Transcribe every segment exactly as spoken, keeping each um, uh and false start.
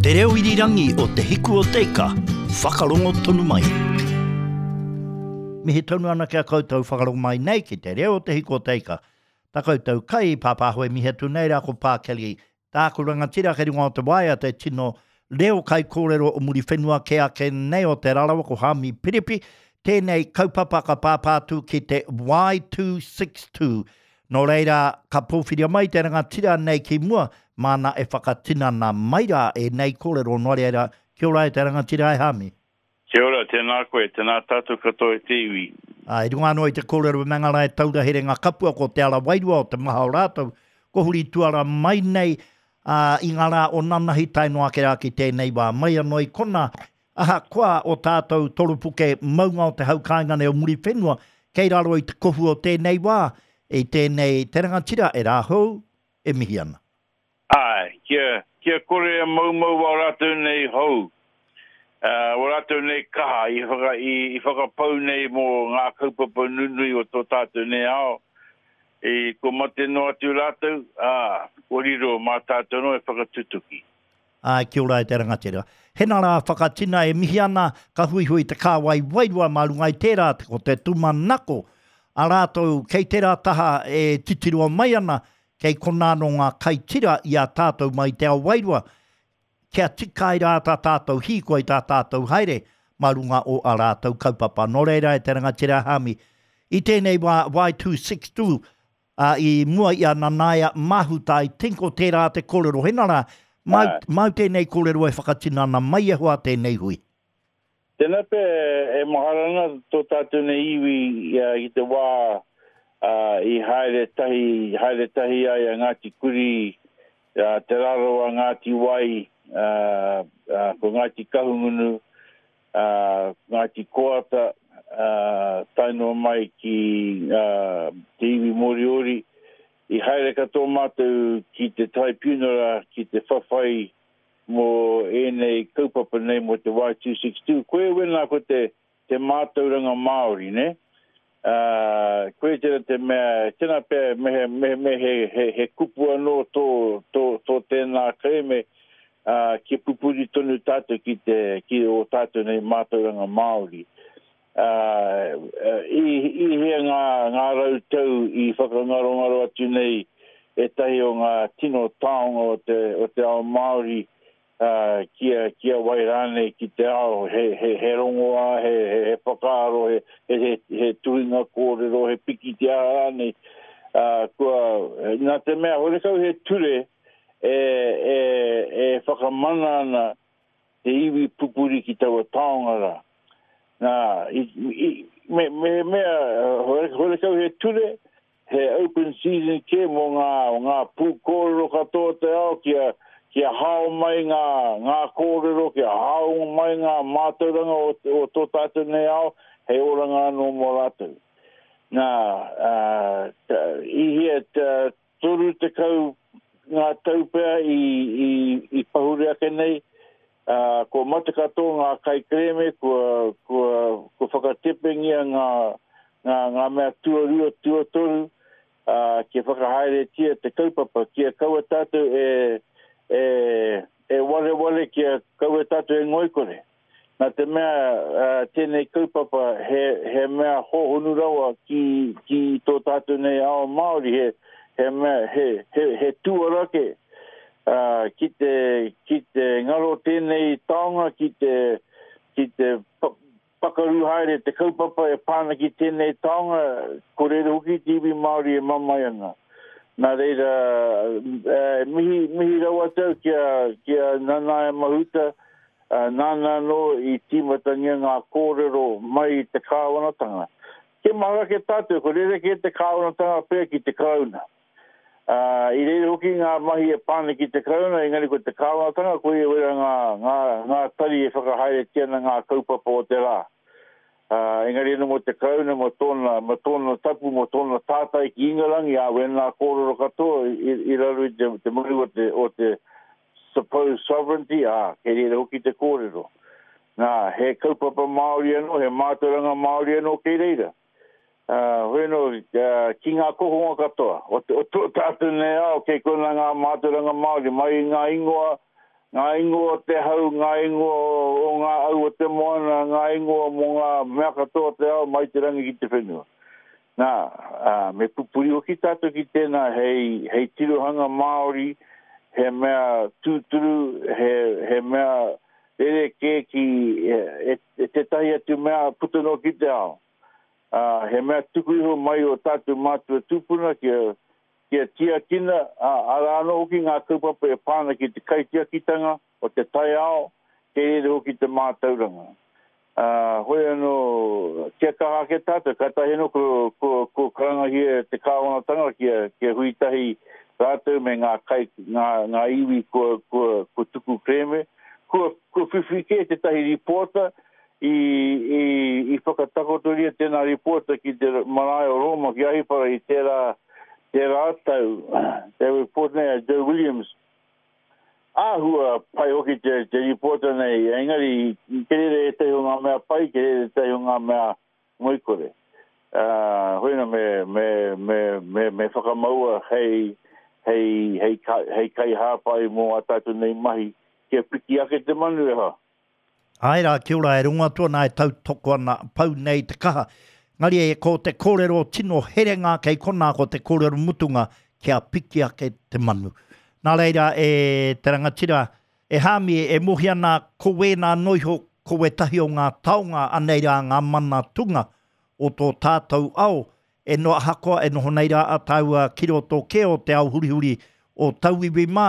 Te reo irirangi o Te Hiku o Te Ika, whakarongo tonu mai. Mihi tonu ana ki a koutou whakarongo mai nei ki te reo o Te Hiku o Te Ika. Tā koutou kai, pāpāho e mihi atu nei rā ko Pākeli. Tāku rangatira kei runga o te waea te tino reo kai kōrero o Muriwhenua ke ake nei o Te Rarawa ko Haami Piripi. Tēnei kaupapa ka pāpā atu ki te Y two six two. Nō reira, ka pōwhiria mai te rangatira nei ki mua, māna e whakatinana mai rā e nei kōrero. Nō reira, kia ora e te rangatira e Haami. Kia ora, tēnā koe, tēnā tātou katoa e te iwi. Ā, i runga anō i te kōrero me ngā rā e taura here ngā kapua ko te ara wairua o te maha o rātou, ko huri tuara mai nei, ā, i ngā rā o nanahi tae noa ake rā ki tēnei wā. Mai anō i kona, ahakoa o tātou toropuke maunga o te hau kāinga nei o Muriwhenua, kei raro i te kohu o tēnei wā, i tēnei te rangatira e rāhou e mihi ana. Āe, kia, kia kore e maumau wā rātou nei hou, uh, wā rātou nei kaha i, whaka, i, i whakapau nei mō ngā kaupapa nunui o tō tātou nei ao, i ko mate noa atu rātou, ā, ko riro mā tātou no e whakatutuki. Āe, kia ora e te rangatira. Hena rā whakatina e mihi ana, ka huihui te kāwai wairua mā runga i tērā, ko te tūmanako a rātou kei tērā taha e titiroa mai ana, kei konā nō ngā kaitira i a tātou mai te ao wairua, kia tika ai rā tā tātou hīkoi, tā tātou haere mā runga o a rātou kaupapa. Nō reira e te rangatira Haami, i tēnei wā Y two six two, ā, i mua i a Nanaia Mahuta, i tinko tērā te kōrero. Hena rā, mau, Āe. mau tēnei kōrero e whakatinana mai e hoa tēnei hui. Tēnā pē e mahara ana tō tātou nei iwi i, i te wā, ā, i haere tahi, haere tahi ai a Ngāti Kuri, ā, Te Rarawa, Ngāti Wai, ā, ā, ko Ngāti Kahungunu, ā, Ngāti Koata, ā, tae noa mai ki, ā, te iwi Moriori. I haere katoa mātou ki te tribunal, ki te whawhai mō ēnei kaupapa nei mō te Y two six two. Koe wena ko te, te mātauranga Māori, ne? Ā, koe tēnā te mea, tēnā pea me he, me, me he, he, he kupu anō tō, tō, tō tēnā kereme, ā, kia pupuri tonu tātou ki te, ki o tātou nei mātauranga Māori. Ā, i, i hea ngā, ngā rau tau i whakangarongaro atu nei ētahi o ngā tino taonga o te, o te ao Māori, ā, kia, kia wai rānei ki te ao, he, he, he rongoā, he, he, he whakaaro, he, he, he, he tuhinga kōrero, he pikitia rānei. Ā, kua, nā te mea, horekau he ture e, e, e whakamana ana te iwi pupuri ki taua taonga rā. Nā, i, i, me, me mea, hore, horekau he ture, he open season ke mō ngā, ngā pūkōrero katoa te ao, kia, kia hao mai ngā, ngā kōrero, kia hao mai ngā mātauranga o, o tō tātou nei ao, hei oranga anō mō rātou. Nā, ā, ta, i hia ta, toru tekau ngā tau pea i, i, i pahure ake nei, ā, kua mate katoa ngā kaikerēme, kua, kua, kua whakatepengia ngā, ngā, ngā mea tuarua, tuatoru, ā, kia whakahaeretia te kaupapa, kia kaua tātou e, e, e wareware, kia kaua tātou e ngoikore. Nā te mea, ā, tēnei kaupapa he, he mea hōhonu rawa ki, ki tō tātou nei ao Māori, he, he mea, he, he, he tuarake, ā, ki te, ki te ngaro tēnei taonga, ki te, ki te pa-, pakaru haere te kaupapa e pāna ki tēnei taonga, ko reira hoki te iwi Māori e mamae ana. Nā reira, e, mihi, mihi rawa tau kia, kia Nanaia Mahuta, ā, nāna anō i tīmatangia ngā kōrero mai i te kāwanatanga. Kia mahara ke tātou, ko reira kē te kāwanatanga pea ki te Karauna. Ā, i reira hoki ngā mahi e pāna ki te Karauna, engari ko te kāwanatanga, ko ia wera ngā, ngā, ngā tari e whakahaeretia ana ngā kaupapa o te rā. Ā, engari anō mō te Karauna, mō tōna, mō tōna tapu, mō tōna tātai ki Ingarangi, ā, wēnā kōrero katoa i, i raro i te, te maru o te, o te supposed sovereignty, ā, kei reira hoki te kōrero. Nā, he kaupapa Māori anō, he mātauranga Māori anō kei reira. Ā, hoi anō, ā, ki ngā kokonga katoa, o te, o tō tātou nei ao, kei kona ngā mātauranga Māori, mai i ngā ingoa, Ngā ingoa o te hau, ngā ingoa o ngā au o te moana, ngā ingoa mō ngā mea katoa o te ao mai te rangi ki te whenua. Nā, ā, me pupuri hoki tātou ki tēnā hei, hei tirohanga Māori, he mea tūturu, he, he mea rerekē ki e, e, e tētahi atu mea puta noa ki te ao. Ā, he mea tuku iho mai o tātou mātua tūpuna kia, kia tiakina, ā, arā anō hoki ngā kaupapa e pā ana ki te kaitiakitanga o te taiao, kei reira hoki te mātauranga. Ā, hoi anō, kia kaha ake tātou, kātahi anō ko, ko, ko karangahia te kāwanatanga kia, kia hui tahi rātou me ngā kai, ngā, ngā iwi kua, kua, kua tuku kerēme, kua, kua whiwhi kē tētahi rīpoata i, i, i whakatakotoria tēnā rīpoata ki te marae o Rōma ki Ahipara i tērā, tērā tau, te report nei a Joe Williams. Āhua pai hoki te, te rīpoata nei, engari kei reira ētahi o ngā mea pai, kei reira ētahi o ngā mea ngoikore. Uh, hoi anō me, me, me, me, me whakamaua hei, hei, hei, hei kaihāpai mō ā tātou nei mahi, kia piki ake te manu e hoa. Āe rā, kia ora, e rongo atu ana, e tautoko ana, pau nei te kaha. Engari e ko te kōrero tino herenga kei konā, ko te kōrero mutunga kia piki ake te manu. Nā reira e te rangatira, e Hāmi, e mohi ana ko wēnā noa iho, ko wētahi o ngā taonga anei rā ngā mana tunga o tō tātou ao, e no, ahakoa e noho nei rā a tāua ki roto kē o te ao hurihuri o tauiwi mā,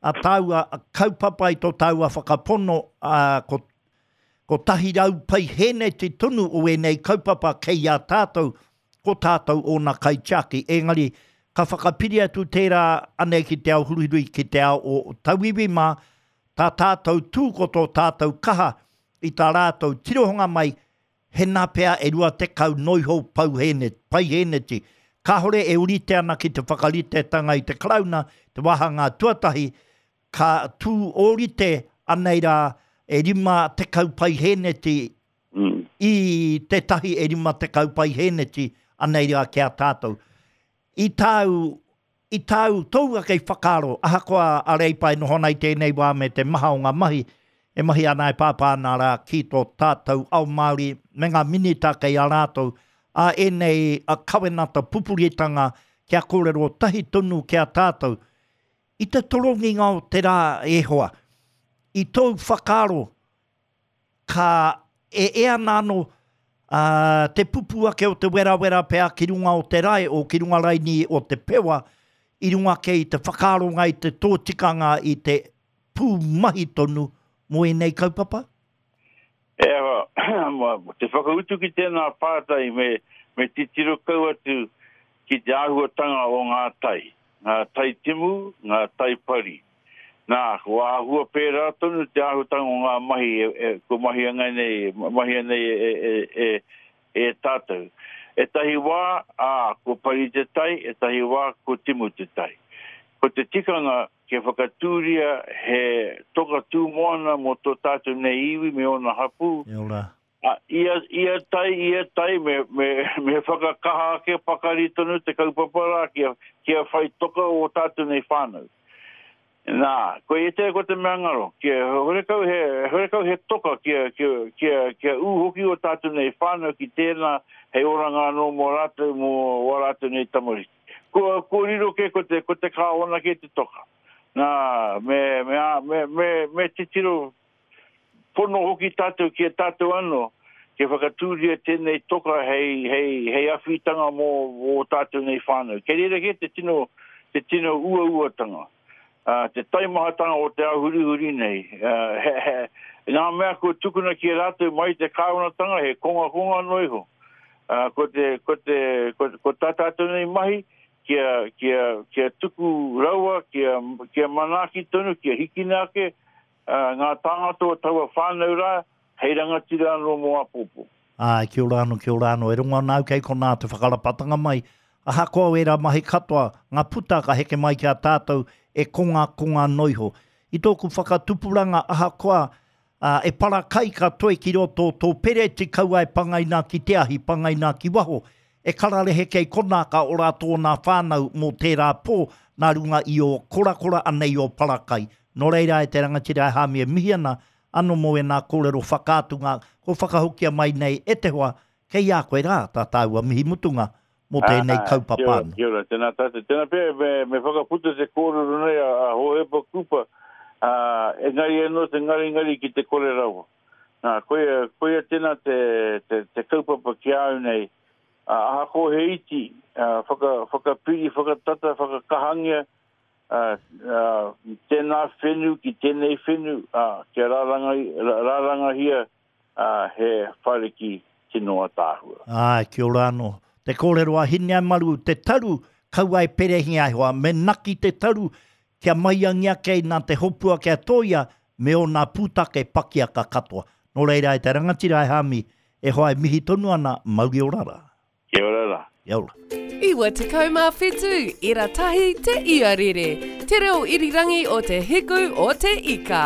a tāua kaupapa i tō tāua whakapono, a, ko kotahi rau paihēneti tonu o ēnei kaupapa kei a tātou, ko tātou ōna kaitiaki. Engari, ka whakapiri atu tērā anei ki te ao hurihuri, ki te ao o tauiwi mā, tā tātou tū ko tō tātou kaha i tā rātou tirohanga mai, hena pea e rua tekau noiho paihēneti. Kāhore e urite ana ki te whakaritetanga i te Karauna, te wāhanga tuatahi, ka tū ōrite anei rā e rima tekau paihēneti mm. i tētahi e rima tekau paihēneti anei rā ki a tātou. I tāu, i tāu tōu ake whakaaro, ahakoa a Reipa e noho ana i tēnei wā me te maha o ngā mahi, e mahi ana e pāpā ana rā ki tō tātou ao Māori me ngā minita kei a rātou, a ēnei a kawenata pupuritanga kia kōrero tahi tonu ki a tātou. I te toronginga o te rā e hoa, i tōu whakaaro, ka e e ana anō uh, te pupu ake o te werawera pea ki runga o te rae o ki runga raini o te pewa, i runga ake i te whakaaronga i te tōtikanga i te pū mahi tonu mō ēnei kaupapa? E hoa, te whakautu ki tēnā pātai me, me titiro kau atu ki te āhuatanga o ngā tai, ngā tai timu, ngā tai pari. Nā, ko āhua pērā tonu te āhuatanga o ngā mahi, e, e, ko mahi angai nei, mahi nei e, e, e, e tātou. Ētahi wā, ā, ko pari te tai, ētahi wā, ko timu te tai. Ko te tikanga kia whakatūria he toka tūmoana mō tō tātou nei iwi me ōna hapū. E ora. A, ia, ia tai, ia tai, me, me, me whakakaha ake pakari tonu te kaupapa rā kia, kia whai toka o tātou nei whānau. Nā, ko e te ko te mea ngaro, kia horekau he, horekau he toka kia, kia, kia, kia ū hoki o tātou nei whānau ki tēnā hei oranga anō mō rātou, mō wā rātou nei tamariki. Ko, ko riro ke ko te, ko te kāwana ke te toka. Nā, me, me, me, me, me titiro pono hoki tātou ki a tātou anō, kia whakatūria tēnei toka hei, hei, hei awhitanga mō, mō tātou nei whānau. Kei reira ke te tino, te tino uauatanga. Uh, te taimahatanga o te ahurihuri nei. Uh, he, he, ngā mea kua tukuna ki a rātou mai te kāwanatanga, he kongakonga noa iho. Uh, ko, te, ko, te, ko, ko tā tātou nei mahi, kia, kia, kia tuku rawa, kia, kia manaaki tonu, kia hikina ake uh, ngā tāngata o taua whānau rā, hei rangatira anō mō āpōpō. Ai, kia ora anō, kia ora anō. E rongo ana au kei konā te whakarapatanga mai. Ahakoa ērā mahi katoa, ngā puta ka heke mai ki a tātou e konga konga noiho. I tōku whakatupuranga ahakoa uh, e parakai ka toe ki roto tō pereti kaua e pangaina ki te ahi, pangaina ki waho. E kararehe kei konā ka ora tōna whānau mō tērā pō nā runga i o korakora anei o parakai. Nō reira e te rangatira e Hāmi e mihi ana, anō mō ēnā kōrero whakaatunga, ko whakahokia mai nei e te hoa, kei a koe rā tā tāua mihi mutunga mō tēnei kaupapa Kia ora, anō. kia ora, tēnā tātou. Tēnā pea, me, me whakaputa te kōrero nei a, a Hohepa Kupa, a, engari anō te ngaringari ki te kore rawa. Nā, koia, koia tēnā te, te, te kaupapa ki a au nei, a, ahako he iti, a, whaka, whakapiri, whakatata, whakakahangia, a, a, tēnā whenu ki tēnei whenu, a, kia rāranga, rārangahia a, he whariki tino ataahua. Ai, kia ora anō. Te kōrero a Hineamaru, te taru, kaua e perehinga ai hoa, me naki te taru, kia maiangia kei nā te hopua kia tōia, me ōna pūtake pakiaka katoa. Nō reira e te rangatira e Hāmi, e hoa e mihi tonu ana, mauri ora rā. Kia ora rā. Kia ora. Iwa tekau mā whitu, ira tahi te iarere. Te reo irirangi o te hiku o te ika.